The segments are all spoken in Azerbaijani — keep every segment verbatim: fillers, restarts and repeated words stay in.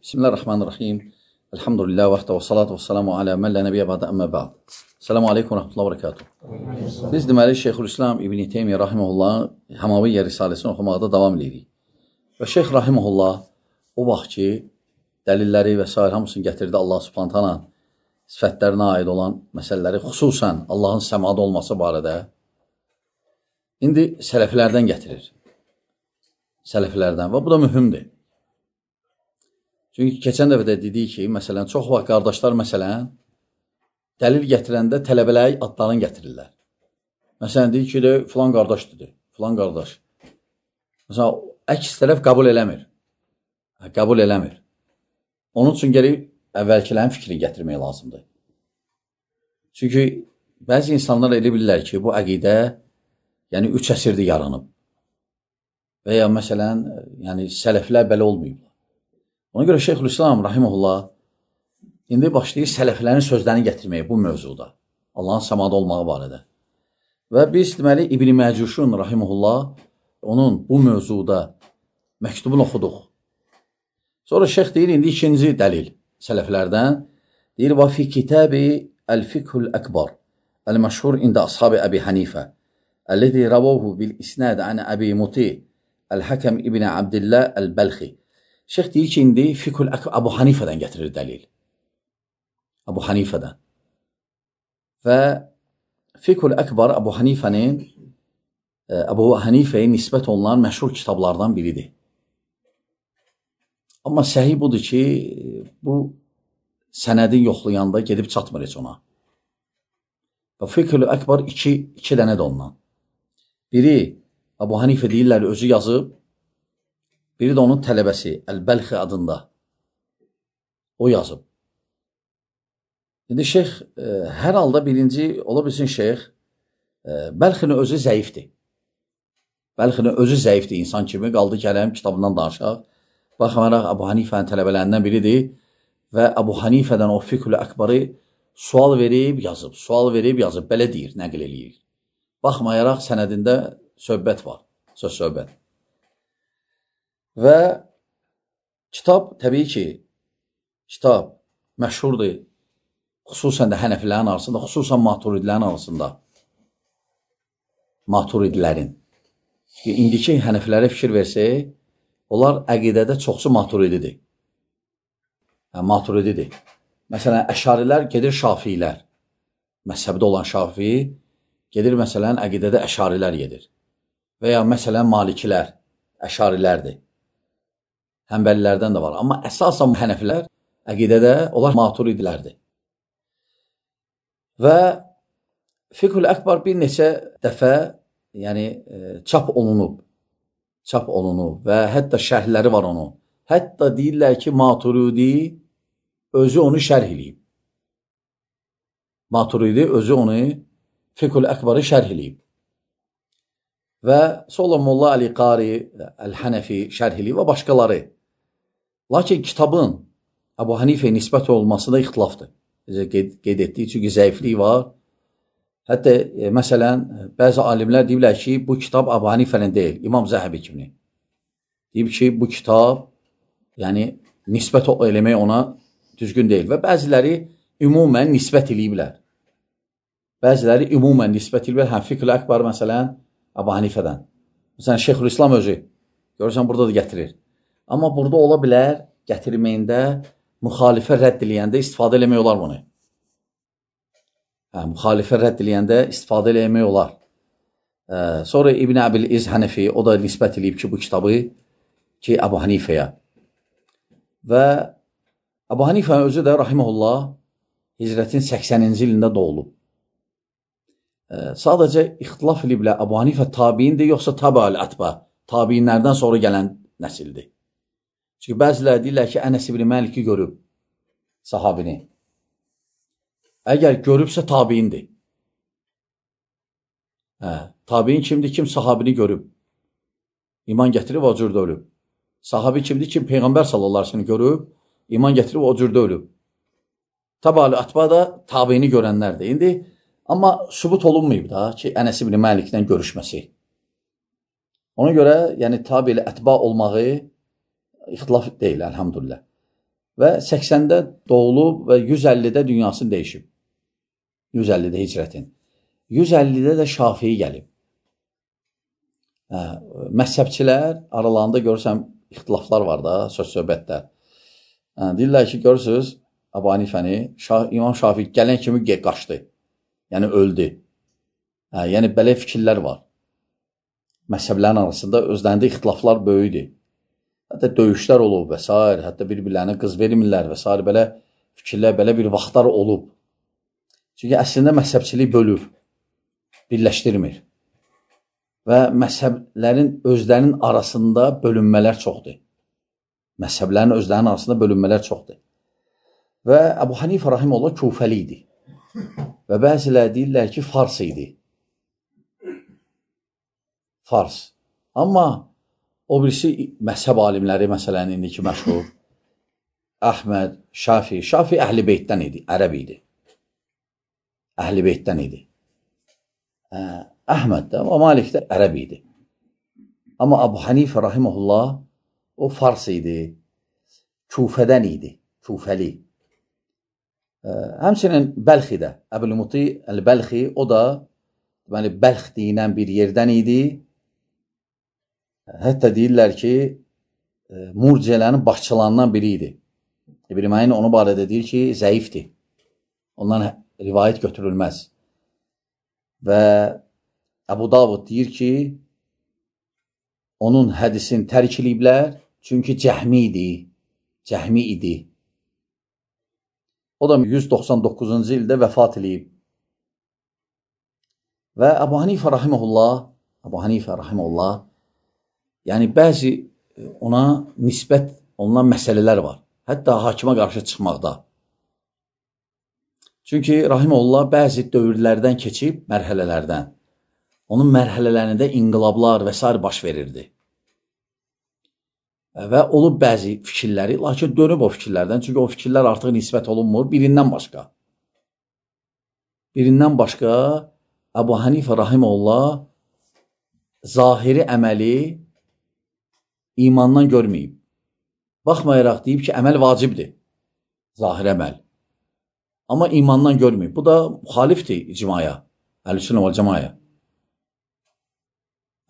Bismillahirrahmanirrahim. Elhamdülillah və və salatu və salamu alə mən lə nəbiyyə bədə əmmə bəd. Selamu aleykum və rəhmətullah və bərəkatuhu. Biz deməli Şeyxülislam İbn-i Teymiyyə Rahiməhullah Hamaviyyə Risaləsini oxumaqda davam edirik. Və Şeyx Rahiməhullah o vaxt ki, dəlilləri və s. hamısını gətirdi Allah Subhanahu taala sifətlərinə aid olan məsələləri, xüsusən Allahın səmada olması barədə indi sələflərdən gətirir. Sələflərdən və bu da mühümdür. Çünki keçən dəfə də dedik ki, məsələn, çox vaxt qardaşlar, məsələn, dəlil gətirəndə tələbələri adlarını gətirirlər. Məsələn, deyir ki, de, filan qardaş dedi, filan qardaş. Məsələn, əks tərəf qəbul eləmir. Qəbul eləmir. Onun üçün gəlib əvvəlkilərin fikrini gətirmək lazımdır. Çünki bəzi insanlar elə bilirlər ki, bu əqidə, yəni üç əsrdir yaranıb. Və ya məsələn, yəni sələflər belə olmayıblar. Ona görə Şeyxülislam Rahiməhullah indi başlayır sələflərin sözlərini gətirməyə bu mövzuda. Allahın səmada olmağı barədə. Və biz deməli İbn-i Məcuşun Rahiməhullah onun bu mövzuda məktubunu oxuduq. Sonra şeyx deyir, indi ikinci dəlil sələflərdən. Deyir, və fi kitabi Əl-Fikhul Əkbar Əl-Məşhur ində Ashab-ı Əbi Hanifə Əl-ləzi rəvahu bil-isnad ən Əbi Muti Əl-Həkəm İbn Abdillah Əl-Bəlxi. Şeyx deyir ki, indi Fikhul Əkbar Əbu Hanifədən gətirir dəlil. Əbu Hanifədən. Və Fikhul Əkbar Əbu Hanifənin Əbu Hanifəyə nisbət olunan məşhur kitablardan biridir. Amma səhih budur ki, bu sənədin yoxlayanda gedib çatmır heç ona. Və Fikhul Əkbar iki, iki dənə də ondan. Biri Əbu Hanifə deyirlər, özü yazıb, biri də onun tələbəsi, Əl-Bəlxi adında. O yazıb. İndi şeyx, e, hər halda birinci, ola bilsin şeyx, e, Bəlxinin özü zəifdir. Bəlxinin özü zəifdir insan kimi, qaldı kələm kitabından danışaq. Baxmayaraq, Əbu Hanifənin tələbələrindən biridir və Əbu Hanifədən o Fikhul Əkbarı sual verib, yazıb, sual verib, yazıb, belə deyir, nəql eləyir. Baxmayaraq, sənədində söhbət var, söz söhbət. Və kitab, təbii ki, kitab məşhurdur, xüsusən də Hənəfilərin arasında, xüsusən Maturidilərin arasında. Maturidilərin. İndiki Hənəfilərə fikir versək, onlar əqidədə çoxsu Maturididir. Yəni, Maturididir. Məsələn, Əşarilər gedir Şafilər. Məzhəbdə olan Şafi gedir, məsələn, əqidədə Əşarilər gedir. Və ya məsələn, Malikilər, Əşarilərdir. Həmbəlilərdən də var. Amma əsasən Hənəfilər əqidədə onlar Maturidilərdir. Və Fikhul Əkbar bir neçə dəfə yəni, e, çap olunub. Çap olunub və hətta şərhləri var onun. Hətta deyirlər ki, Maturidi özü onu şərh eləyib. Maturidi özü onu Fikhul Əkbarı şərh eləyib. Və sonra Molla Ali Qari, Əl-Hənəfi şərh eləyib və başqaları. Lakin kitabın Əbu Hanifəyə nisbət olmasında ixtilafdır. Qeyd, qeyd etdik, çünki zəiflik var. Hətta, e, məsələn, bəzi alimlər deyirlər ki, bu kitab Əbu Hanifənin deyil, İmam Zəhəbi kimi. Deyib ki, bu kitab, yəni, nisbət eləmək ona düzgün deyil. Və bəziləri ümumən nisbət eləyiblər. Bəziləri ümumən nisbət eləyiblər. Həm Fikhul Əkbar, məsələn, Əbu Hanifədən. Məsələn, Şeyxülislam özü, görürsən, burada da gətirir. Amma burada ola bilər, gətirməyində, müxalifə rədd eləyəndə istifadə eləmək olar bunu. Hə, müxalifə rədd eləyəndə istifadə eləmək olar. Ə, sonra İbn Əbil-İz Hənəfi, o da nisbət eləyib ki, bu kitabı ki, Əbu Hanifəyə. Və Əbu Hanifənin özü də, Rahiməhullah, hicrətin səksəninci ilində doğulub. Ə, sadəcə ixtilaf eliblər, Əbu Hanifə tabiindir, yoxsa tabi-ül-ətbə, tabiinlərdən sonra gələn nəsildir. Çünki bəzilər deyirlər ki, Ənəs ibn Məliki görüb sahabini. Əgər görübsə tabiindir. Hə, tabiin kimdir? Kim sahabini görüb? İman gətirib, o cürdə ölüb. Sahabi kimdir? Kim Peyğəmbər sallallahu əleyhi və səlləm görüb, iman gətirib, o cürdə ölüb. Tabi ətba da tabiini görənlərdir. İndi, amma sübut olunmayıb da ki, Ənəs ibn Məlikdən görüşməsi. Ona görə, yəni tabi ətba olmağı ixtilaf deyil, əlhamdülillah. və səksəndə doğulub və yüz əllidə dünyasını dəyişib. yüz əllidə hicrətin. yüz əllidə də Şafii gəlib. Hə, məzhəbçilər aralarında görürsən ixtilaflar var da, söz-söhbətdə. Hə, deyirlər ki, görürsünüz Əbu Hanifəni, Şah, İmam Şafii gələn kimi qaçdı. Yəni öldü. Hə, yəni belə fikirlər var. Məzhəblərin arasında özlərində ixtilaflar böyüdür. Hətta döyüşlər olub və s. Hətta bir-birlərinə qız vermirlər və s. Belə fikirlər, belə bir vaxtlar olub. Çünki əslində məzhəbçilik bölür, birləşdirmir. Və məzhəblərin özlərinin arasında bölünmələr çoxdur. Məzhəblərin özlərinin arasında bölünmələr çoxdur. Və Əbu Hanifə rahimehullah Kufəli idi. Və bəzilər deyirlər ki, Fars idi. Fars. Amma o birisi məzhəb alimləri, məsələn, indiki məşhur Əhməd, Şafi. Şafi Əhl-i Beytdən idi, ərəb idi. Əhl-i Beytdən idi. Əhməd də, o Malik də ərəb idi. Amma Əbu Hanifə rahimehullah o Fars idi, Kufədən idi, Kufəli. Həmçinin Bəlxi də, Əbül-Muti Əl-Bəlxi, o da deməli, Bəlx deyilən bir yerdən idi. Hətta deyirlər ki, murciələrin başçılarından biri idi. İbn Məyin onu barədə deyir ki, zəifdir. Ondan rivayət götürülməz. Və Əbu Davud deyir ki, onun hədisini tərk ediblər, çünki cəhmi idi. Cəhmi idi. O da yüz doxsan doqquzuncu ildə vəfat edib. Və Əbu Hanifə rahimehullah, Əbu Hanifə rahimehullah, yəni bəzi ona nisbət olunan məsələlər var. Hətta hakimə qarşı çıxmaqda. Çünki rahimehullah bəzi dövrlərdən keçib, mərhələlərdən. Onun mərhələlərində inqilablar və s. baş verirdi. Və olub bəzi fikirləri, lakin dönüb o fikirlərdən, çünki o fikirlər artıq nisbət olunmur, birindən başqa. Birindən başqa Əbu Hanifə rahimehullah zahiri əməli imandan görməyib. Baxmayaraq deyib ki, əməl vacibdir, zahir əməl. Amma imandan görməyib. Bu da müxalifdir icmaya, Əhl-i-Sünnə vəl-Cəmaya.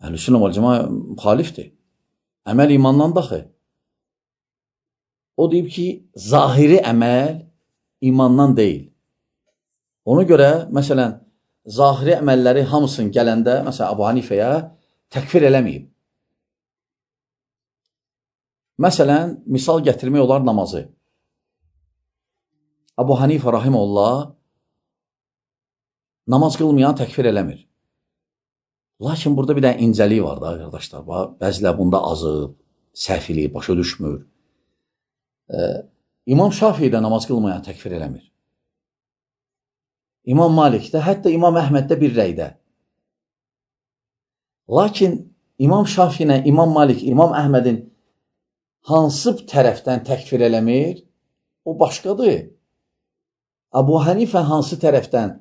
Əhl-i-Sünnə vəl-Cəmaya müxalifdir. Əməl imandan daxı. O deyib ki, zahiri əməl imandan deyil. Ona görə, məsələn, zahiri əməlləri hamısını gələndə, məsələn, Əbu Hanifəyə təkfir eləməyib. Məsələn, misal gətirmək olar namazı. Əbu Hanifə rahimehullah namaz qılmayan təkfir eləmir. Lakin burada bir dənə incəlik var da, qardaşlar. Bəzilər bunda azıb, səhvili, başa düşmür. Ee, İmam Şafii də namaz qılmayan təkfir eləmir. İmam Malik də, hətta İmam Əhməd də bir rəydə. Lakin İmam Şafii ilə İmam Malik, İmam Əhmədin hansı tərəfdən təkfir eləmir, o başqadır. Əbu Hanifə hansı tərəfdən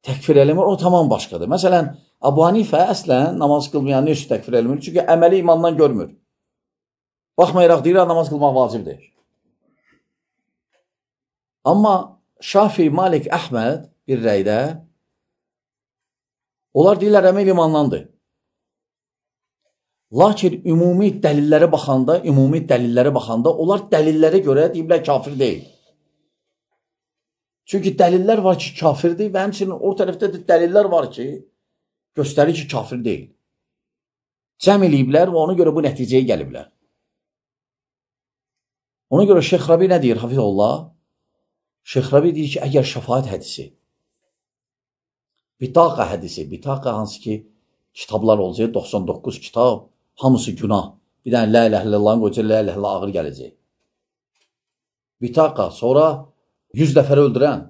təkfir eləmir, o tamam başqadır. Məsələn, Əbu Hanifə əslən namaz qılmayan nə üçün təkfir eləmir? Çünki əməli imandan görmür. Baxmayaraq deyirlər, namaz qılmaq vacibdir. Amma Şafii, Malik, Əhməd bir rəydə, onlar deyirlər, əməl imandandır. Lakin ümumi dəlillərə baxanda, ümumi dəlillərə baxanda, onlar dəlillərə görə deyiblər, kafir deyil. Çünki dəlillər var ki, kafirdir və həmçinin o tərəfdə də dəlillər var ki, göstərir ki, kafir deyil. Cəm eləyiblər və ona görə bu nəticəyə gəliblər. Ona görə Şeyx Rabi nə deyir, Hafizullah? Şeyx Rabi deyir ki, əgər şəfaət hədisi, bitaqa hədisi, bitaqa hansı ki, kitablar olacaq, doxsan doqquz kitab, hamısı günah. Bir dənə la ilə illallahın qoyacaq, la ilə illallah ağır gələcək. Bitaqa, sonra yüz dəfər öldürən.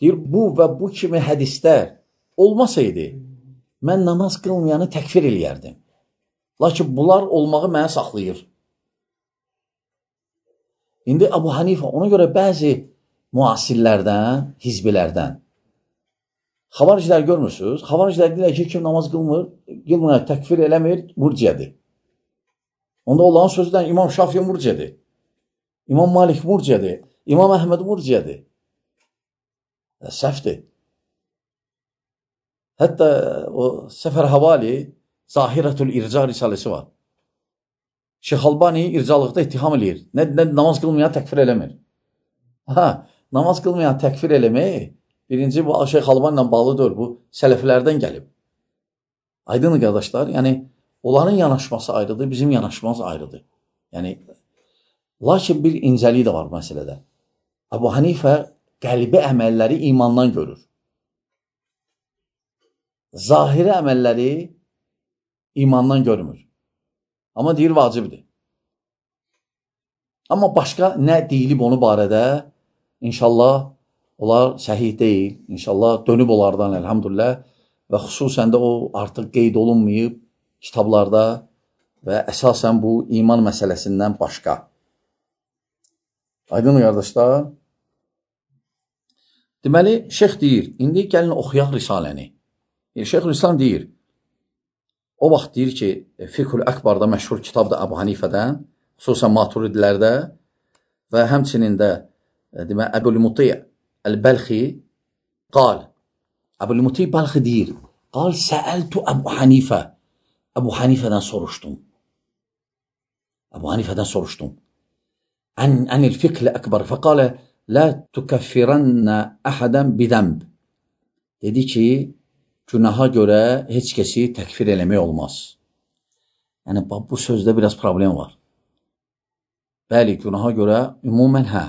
Deyir, bu və bu kimi hədislər olmasaydı, mən namaz qılmayanı təkfir eləyərdim. Lakin bunlar olmağı mənə saxlayır. İndi Əbu Hanifə ona görə bəzi müasirlərdən, hizbilərdən, xavaricilər görmürsünüz? Xavaricilər deyirlər ki, kim namaz qılmır, qılmır, təkfir eləmir, murciyədir. Onda onların sözüdən İmam Şafii murciyədir. İmam Malik murciədir. İmam Əhməd murciədir. Səhvdir. Hətta o Səfər Havali Zahirətül İrca risaləsi var. Şeyx Albani ircalıqda ittiham eləyir. Nə, nə namaz qılmayan təkfir eləmir. Ha, namaz qılmayan təkfir eləmək birinci bu Şeyx Albani ilə bağlı deyil. Bu sələflərdən gəlib. Aydın qardaşlar, yəni onların yanaşması ayrıdır, bizim yanaşmamız ayrıdır. Yəni lakin bir incəlik də var məsələdə. Əbu Hanifə qəlbi əməlləri imandan görür. Zahiri əməlləri imandan görmür. Amma deyir, vacibdir. Amma başqa nə deyilib onu barədə, inşallah, onlar səhih deyil. İnşallah, dönüb onlardan, elhamdülillah. Və xüsusən də o artıq qeyd olunmayıb kitablarda və əsasən bu iman məsələsindən başqa. Aydın qardaşlar. Deməli, şeyx deyir, indi gəlin oxuyaq risaləni. Şeyx Rüslan deyir, o vaxt deyir ki, Fiqhül Əkbarda məşhur kitabdır Əbu Hanifədən, xüsusən Maturidilərdə və həmçinin də demə, Əbul-Muti Əl-Bəlxi qal, Əbul-Muti Bəlxi deyir, qal səəltu Əbu Hanifə, Əbu Hanifədən soruşdum. Əbu Hanifədən soruşdum. Ən, ənil fiqh əkbar, fəqalə, lə tükəffirənnə əhədən bidəmb. Dedi ki, günaha görə heç kəsi təkfir eləmək olmaz. Yəni, bu sözdə biraz problem var. Bəli, günaha görə ümumən hə.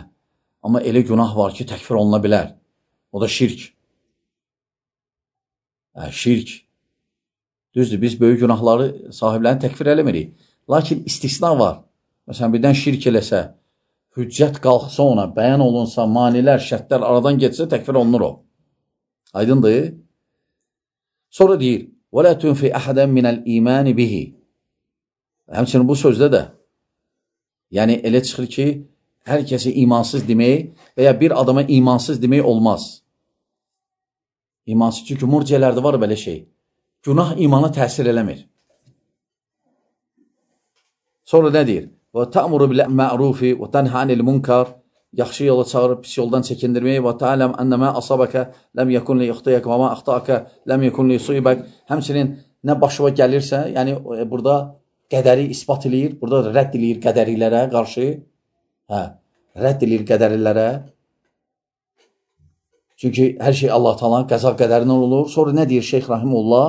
Amma elə günah var ki, təkfir oluna bilər. O da şirk. Hə, şirk. Düzdür, biz böyük günahları sahiblərini təkfir eləmirik. Lakin istisna var. Məsələn, birdən şirk eləsə, hüccət qalxsa ona, bəyan olunsa, manilər, şərtlər aradan getsə, təkfir olunur o. Aydındır. Sonra deyir, وَلَا تُنْفِ أَحَدًا مِنَ الْإِيمَانِ بِهِ. Həmçinin bu sözdə də, yəni elə çıxır ki, hər kəsi imansız demək və ya bir adama imansız demək olmaz. İmansız, çünki murciələrdə var belə şey. Günah imana təsir eləmir. Sonra nə deyir? وَتَأْمُرُ بِالْمَعْرُوفِ وَتَنْهَ عَنِ الْمُنْكَرِ. Yaxşı yola çağırıb pis yoldan çəkindirməyi və tə'ələm ənəmə asabəkə ləm yəkun li ixtiyək və mə axtaqə ləm yəkun li yusibək. Həmçinin nə başıva gəlirsə, yəni burada qədəri ispat eləyir, burada rədd eləyir qədərilərə qarşı. Hə, rədd eləyir qədərilərə. Çünki hər şey Allah Taala'nın qəza qədərindən olur. Sonra nə deyir Şeyx Rahimullah?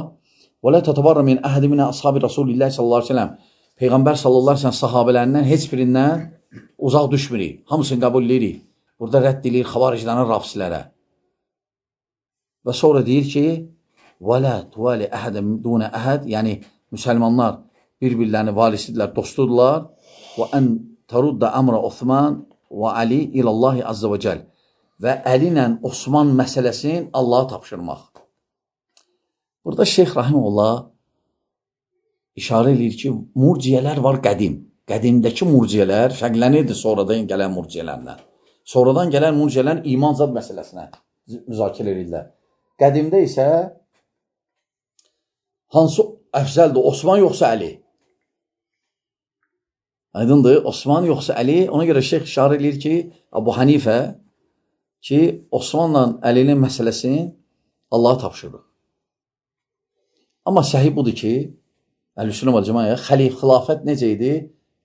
Və la tatabarra min ahadi min ashabi Rasulillah sallallahu əleyhi və səlləm. Peyğəmbər sallallahu əleyhi və səlləm sahabələrindən heç birindən uzaq düşmürük, hamısını qəbul edirik. Burada rədd edilir xavariclərin rafsilərə. Və sonra deyir ki, وَلَا تُوَالِ أَحَدًا دُونَ أَحَدٍ. Yəni, müsəlmanlar bir-birlərini valisidirlər, dostudurlar. وَأَنْ تَرُدَّ أَمْرَ Osman və Ali İlallahi Azza və Cəl. Və Əli ilə Osman məsələsini Allaha tapşırmaq. Burada Şeyx Rahimullah işarə edir ki, murciyələr var qədim. Qədimdəki murciyələr fərqlənirdi sonradan gələn murciyələrlə. Sonradan gələn murciyələr iman zad məsələsinə müzakirə edirlər. Qədimdə isə hansı əfzəldir? Osman yoxsa Əli? Aydındır, Osman yoxsa Əli? Ona görə şeyx işarə edir ki, Əbu Hanifə ki, Osmanla Əlinin məsələsini Allaha tapşırır. Amma səhih budur ki, Əl-Sünnə vəl Cəmaə xilafət necə idi?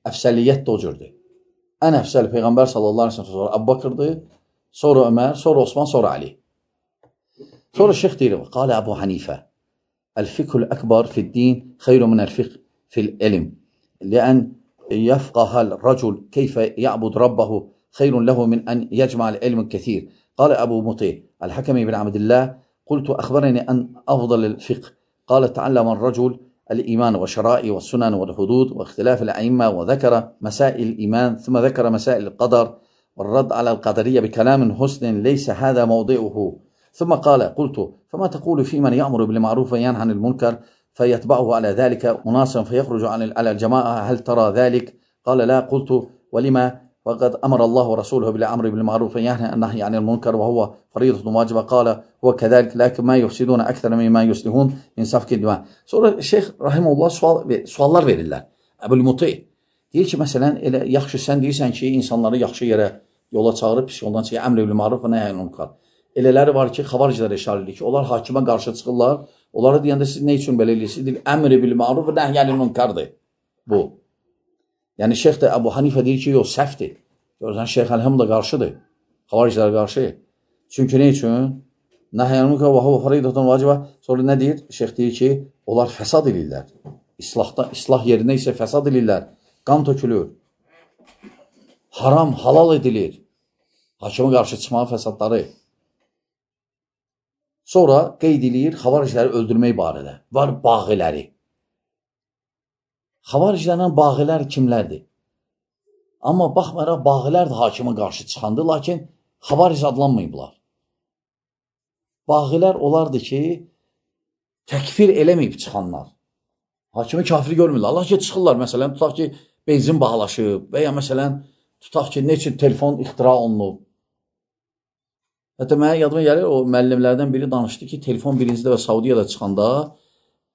Əfsəliyyət də o cürdür. Ən əfsəli Peyğəmbər sallallahu əleyhi və səlləm sonra Əbu Bakırdır, sonra Ömər, sonra Osman, sonra Ali. Sonra şeyx deyir, qalə Əbu Hanifə, Əl-fiqhul əkbar fid-din xeyru min əl-fiqh fil-ilm. Ləən yəfqəhəl rəcul keyfə ya'bud rabbahu xeyrun ləhu min ən yəcməl ilmin kəthir. Qalə Əbu Muti, Əl-Həkəmi ibn Abdillah, qultu əxbərəni ən əfdəl il-fiqh. Qalə təəlləmən rəcul الإيمان والشرائع والسنن والحدود واختلاف الأئمة وذكر مسائل الإيمان ثم ذكر مسائل القدر والرد على القدرية بكلام حسن ليس هذا موضعه ثم قال قلت فما تقول في من يأمر بالمعروف وينهى عن المنكر فيتبعه على ذلك مناصا فيخرج عن على الجماعة هل ترى ذلك؟ قال لا. قلت ولما؟ وقد أمر الله ورسوله بالأمر بالمعروف وينهى عن النهي عن المنكر وهو فريضة واجبة. قال هو كذلك لكن ما يفسدون أكثر مما يصلحون من سفك الدماء. Sonra Şeyh Rahimullah sual, suallar verirlər. Əbul-Muti, Deyir ki, məsələn, elə yaxşı sən deyirsən ki, insanları yaxşı yerə yola çağırıb, pis yoldan çəkir, əmr bil ma'ruf və nəhy anil münkar. Elələri var ki, xavariclərə işarə edir ki, onlar hakimə qarşı çıxırlar. Onlara deyəndə siz nə üçün belə eləyirsiniz? Deyir, əmr bil ma'ruf və nəhy anil münkardır bu. Yəni Şeyx də Əbu Hanifə deyir ki, yox, səhvdir. Görürsən, Şeyx Əlhəm də qarşıdır. Xavariclərə qarşı. Çünki nə üçün? Nəhy anil münkar və huve faridatun vacibə. Sonra nə deyir? Şeyx deyir ki, onlar fəsad edirlər. İslahda, islah yerində isə fəsad edirlər. Qan tökülür. Haram, halal edilir. Hakimə qarşı çıxmağı fəsadları. Sonra qeyd edir xavaricləri öldürmək barədə. Var bağiləri. Xavariclərlə bağilər kimlərdir? Amma baxmayaraq bağilər də hakimə qarşı çıxandır, lakin xavaric adlanmayıblar. Bağilər olardı ki, təkfir eləməyib çıxanlar. Hakimi kafiri görmürlər. Allah ki, çıxırlar, məsələn, tutaq ki, benzin bağlaşıb və ya məsələn, tutaq ki, ne üçün telefon ixtira olunub. Hətta mənə yadıma gəlir, o müəllimlərdən biri danışdı ki, telefon birincidə və Saudiyada çıxanda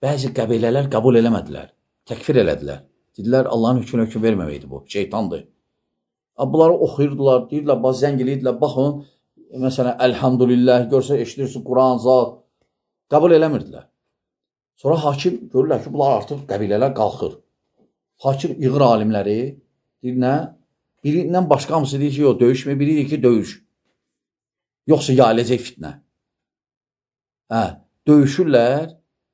bəzi qəbilələr qəbul eləmədilər, təkfir elədilər. Dedilər, Allahın hökmünə hökm verməməkdir bu, şeytandır. Bunları oxuyurdular, deyirlər, bax, zəng eləyirdilər, baxın, məsələn, əlhamdülillah, görsə, eşidirsin, Quran, zat, qəbul eləmirdilər. Sonra hakim görürlər ki, bunlar artıq qəbilələr qalxır. Hakim yığır alimləri, deyir, nə? Birindən başqa hamısı deyir ki, yox, döyüşmə, biri deyir ki, döyüş. Yoxsa yayılacaq fitnə. Hə, döyüşürlər,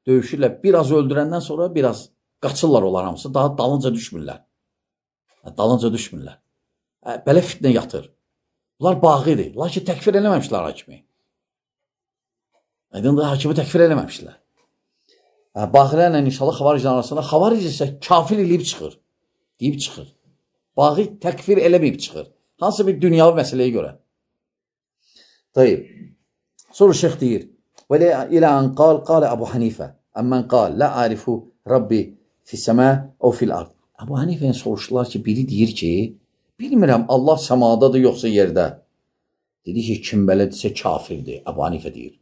döyüşürlər, biraz öldürəndən sonra biraz qaçırlar onlar hamısı, daha dalınca düşmürlər. Hə, dalınca düşmürlər. Hə, belə fitnə yatır. Bunlar bağıdır, lakin təkfir eləməmişlər hakimi. Aydındır, hakimi təkfir eləməmişlər. Bağilərlə inşallah xavariclər arasında, xavaric isə kafir eləyib çıxır, deyib çıxır. Bağı təkfir eləməyib çıxır. Hansı bir dünyavi məsələyə görə. Tayyib. Sonra şeyx deyir, və ilə ən qal, qalə Əbu Hanifə, əmmən qal, lə arifu Rabbi fissəmə o fil ard. Əbu Hanifəyə soruşdular ki, biri deyir ki, bilmirəm, Allah səmadadır, yoxsa yerdə. Dedi ki, kim belədirsə kafirdir, Əbu Hanifə deyir.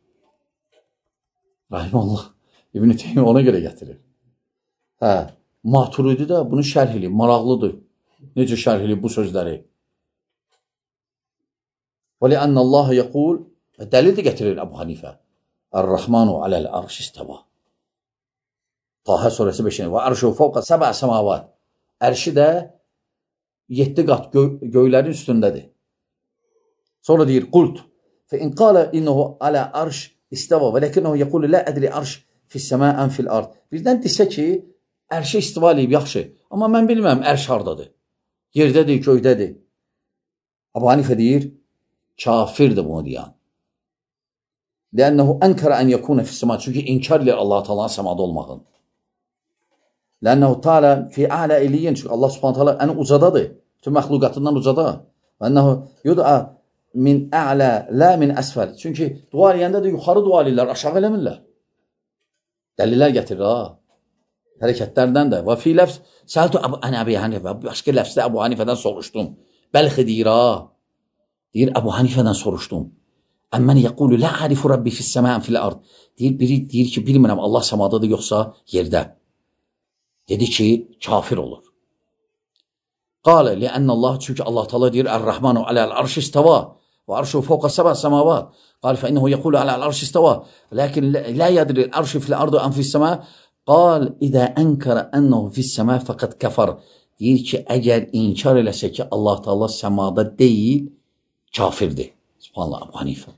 Rahiməllah. İbn-i Teymiyyə ona görə gətirir. Hə, Maturidi də bunu şərh eləyib, maraqlıdır. Necə şərh eləyib bu sözləri? Və li'annə Allah yəqul, dəlil də gətirir Əbu Hanifə. Ər-Rəhmanu aləl arş istəva. Tahə surəsi beşinci. Və arşu fəvqə səbə səmavat. Ərşi də yeddi qat gö göylərin üstündədir. Sonra deyir, qult. Fə in qalə innəhu alə arş istəva və ləkinnəhu yəqulu lə ədri arş fissəmə ən fil ard. Birdən desə ki, ərşə istiva eləyib, yaxşı. Amma mən bilməm, ərş hardadır. Yerdədir, göydədir. Əbu Hanifə deyir, kafirdir bunu deyən. Lənnəhu ənkərə ən yəkunə fissəmə. Çünki inkar edir Allah-u Teala'nın səmada olmağın. Lənnəhu Teala fi ələ eliyyin. Çünki Allah Subhanahu Teala ən ucadadır. Bütün məxluqatından ucada. Lənnəhu yud'a min ələ, lə min əsfəl. Çünki dua eləyəndə də yuxarı dua eləyirlər, aşağı eləmirlər. Dəlillər gətirir, ha. Hərəkətlərdən də. Və fi ləfz, səltu ənə Əbu Hanifə. Başqa ləfzdə Əbu Hanifədən soruşdum. Bəlxi deyir, ha. Deyir, Əbu Hanifədən soruşdum. Əmmən yəqulu, lə arifu Rabbi fissəmən fil ard. Deyir, biri deyir ki, bilmirəm, Allah səmadadır, yoxsa yerdə. Dedi ki, kafir olur. Qalə, li'ənnə Allah, çünki Allah Teala deyir, Ər-Rəhmanu aləl arş istəva. Və arşu fəvqə səbə səmavat. قال فإنه يقول على العرش استوى لكن لا يدري العرش في الأرض أم في السماء قال إذا أنكر أنه في السماء فقد كفر. Deyir ki, əgər inkar eləsə ki, Allah Teala səmada deyil, kafirdir. Subhanallah, Əbu Hanifə.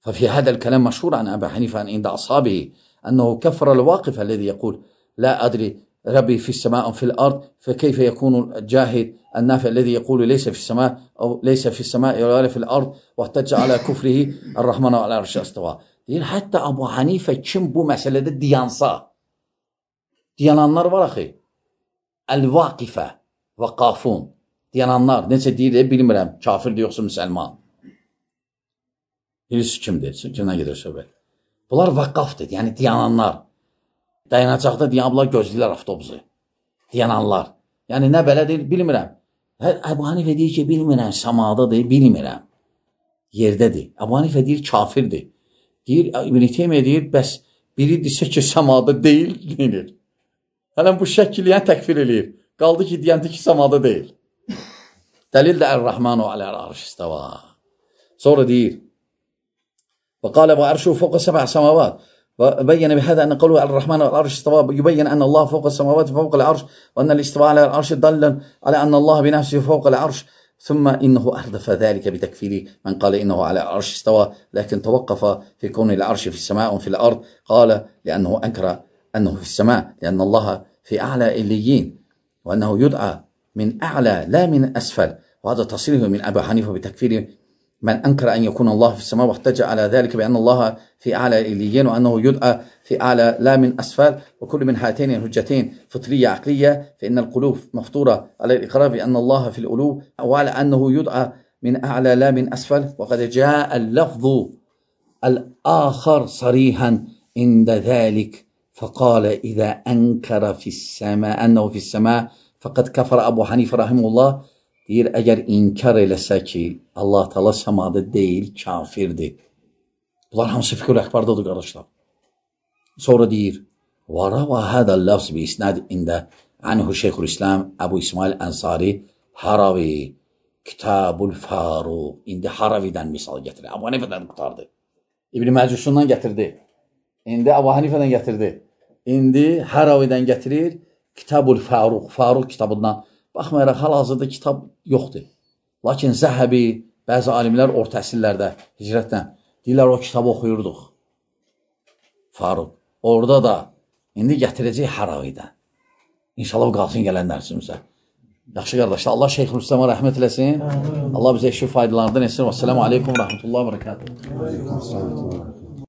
ففي هذا الكلام مشهور عن أبي حنيفة عند أصحابه أنه كفر الواقف الذي يقول لا أدري ربي في السماء أو في الأرض فكيف يكون الجاهد النافع الذي يقول ليس في السماء أو ليس في السماء ولا في الأرض واحتج على كفره الرحمن على العرش استوى. Deyir, hətta Əbu Hanifə kim bu məsələdə diyansa, diyananlar var axı, əl-vaqifə və qafun, diyananlar, necə deyir, bilmirəm, kafirdir yoxsa müsəlman. Bilirsiniz kimdir, kimdən gedir söhbət. Bunlar vəqqafdır, yəni diyananlar. Dayanacaqda diyanlar gözləyirlər avtobusu. Diyananlar. Yəni nə belə deyil, bilmirəm. Əbu Hanifə deyir ki, bilmirəm, səmadadır, bilmirəm. Yerdədir. Əbu Hanifə deyir, kafirdir. Deyir, İbn-i Teymiyyə deyir, bəs biri desə ki, səmada deyil, deyir. Hələn bu şəkil yəni təkfir eləyir. Qaldı ki, deyəndi ki, səmada deyil. Dəlil də Ər-Rəhmanu aləl-arş istəva. Sonra deyir, وقال وعرشه فوق سبع سماوات وبين بهذا أن قوله الرحمن على العرش استوى يبين أن الله فوق السماوات فوق العرش وأن الاستواء على العرش دل على أن الله بنفسه فوق العرش ثم إنه أحدث ذلك بتكفير من قال إنه على العرش استوى لكن توقف في كون العرش في السماء وفي الأرض قال لأنه أنكر أنه في السماء لأن الله في أعلى إليين وأنه يدعى من أعلى لا من أسفل وهذا تصريح من أبي حنيفة بتكفير من أنكر أن يكون الله في السماء واحتج على ذلك بأن الله في أعلى الإليين وأنه يدعى في أعلى لا من أسفل وكل من هاتين الحجتين فطرية عقلية فإن القلوب مفطورة على الإقرار بأن الله في الألو وعلى أنه يدعى من أعلى لا من أسفل وقد جاء اللفظ الآخر صريحا عند ذلك فقال إذا أنكر في السماء أنه في السماء فقد كفر أبو حنيفة رحمه الله. Deyir, əgər inkar eləsə ki, Allah Teala səmada deyil, kafirdir. Bunlar hamısı fikir əkbardadır, qardaşlar. Sonra deyir, وَرَوَى هَذَا اللَّفْظ بِإِسْنَادٍ عِنْدَ عَنْهُ شَيْخُ الْإِسْلَامِ Əbu İsmail Ənsari Haravi Kitabul Faruq. İndi Haravidən misal gətirir. Əbu Hanifədən qutardı. İbn-i Məcusundan gətirdi. İndi Əbu Hanifədən gətirdi. İndi Haravidən gətirir Kitabul Faruq. Faruq kitabından. Baxmayaraq, hal-hazırda kitab yoxdur. Lakin Zəhəbi, bəzi alimlər orta əsrlərdə, hicrətdən, deyirlər, o kitabı oxuyurduq. Faruq. Orada da, indi gətirəcək Haravidən. İnşallah qalsın gələn dərsimizə. Yaxşı qardaşlar, Allah Şeyxülisləmə rəhmət eləsin. Allah bizə eşi faydalarından etsin. Vəssalamu aleykum, rəhmətullahi və bərəkatuhu.